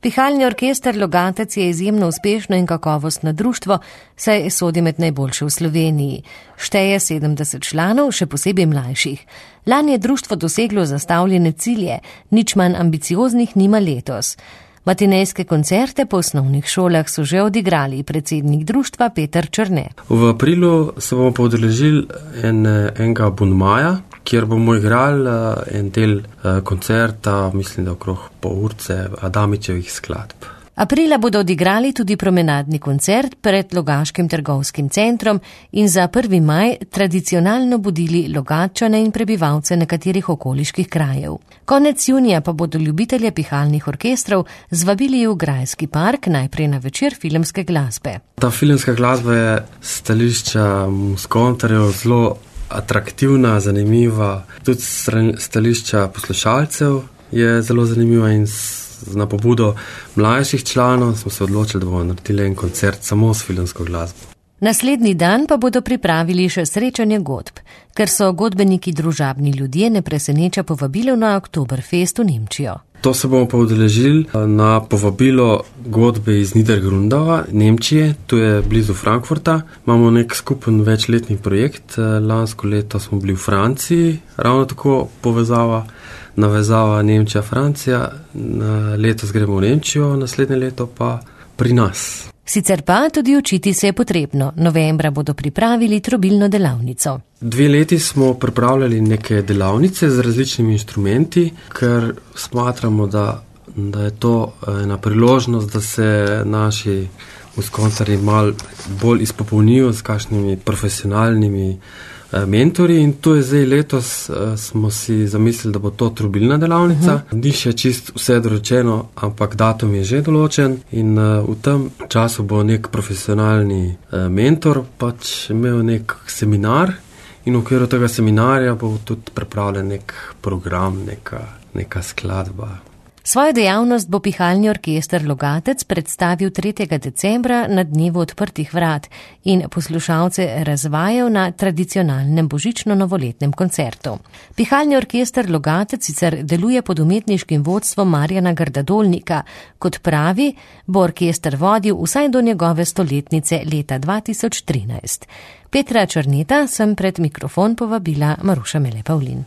Pihalni orkester Logatec je izjemno uspešno in kakovostno društvo, saj sodi med najboljše v Sloveniji. Šteje 70 članov, še posebej mlajših. Lani je društvo doseglo zastavljene cilje, nič manj ambicioznih nima letos. Matinejske koncerte po osnovnih šolah so že odigrali predsednik društva Peter Črne. V aprilu se bomo podeležili enega abonmaja, kjer bomo igrali en del koncerta, mislim, da okrog pol urce Adamičevih skladb. Aprila bodo odigrali tudi promenadni koncert pred Logaškim trgovskim centrom in za 1. maj tradicionalno budili Logatčane in prebivalce nekaterih okoliških krajev. Konec junija pa bodo ljubitelje pihalnih orkestrov zvabili v Grajski park, najprej na večer filmske glasbe. Ta filmska glasba je stališča muskontarjev zelo atraktivna, zanimiva, tudi stališča poslušalcev je zelo zanimiva in na pobudo mlajših članov smo se odločili, da bomo naredili en koncert samo s filmsko glasbo. Naslednji dan pa bodo pripravili še srečanje godb, ker so godbeniki družabni ljudje, ne preseneča povabilo na Oktoberfest v Nemčijo. To se bomo pa udeležili na povabilo godbe iz Niedergrundova, Nemčije, to je blizu Frankfurta. Imamo nek skupen večletni projekt, lansko leto smo bili v Franciji, ravno tako navezava Nemčija-Francija, letos gremo v Nemčijo, naslednje leto pa pri nas. Sicer pa tudi učiti se je potrebno. Novembra bodo pripravili trobilno delavnico. 2 leti smo pripravljali neke delavnice z različnimi inštrumenti, ker smatramo, da je to ena priložnost, da se naši muskoncarji malo bolj izpopolnijo s kakšnimi profesionalnimi mentori in to je zdaj letos, smo si zamislili, da bo to trobilna delavnica. Ni še čist vse doročeno, ampak datum je že določen in v tem času bo nek profesionalni mentor pač imel nek seminar in v okviru tega seminarja bo tudi pripravljen nek program, neka skladba. Svojo dejavnost bo pihalni orkester Logatec predstavil 3. decembra na dnevu odprtih vrat in poslušalce razvajal na tradicionalnem božično-novoletnem koncertu. Pihalni orkester Logatec sicer deluje pod umetniškim vodstvom Marjana Grdadolnika. Kot pravi, bo orkester vodil vsaj do njegove stoletnice leta 2013. Petra Črneta sem pred mikrofon povabila Maruša Mele Pavlin.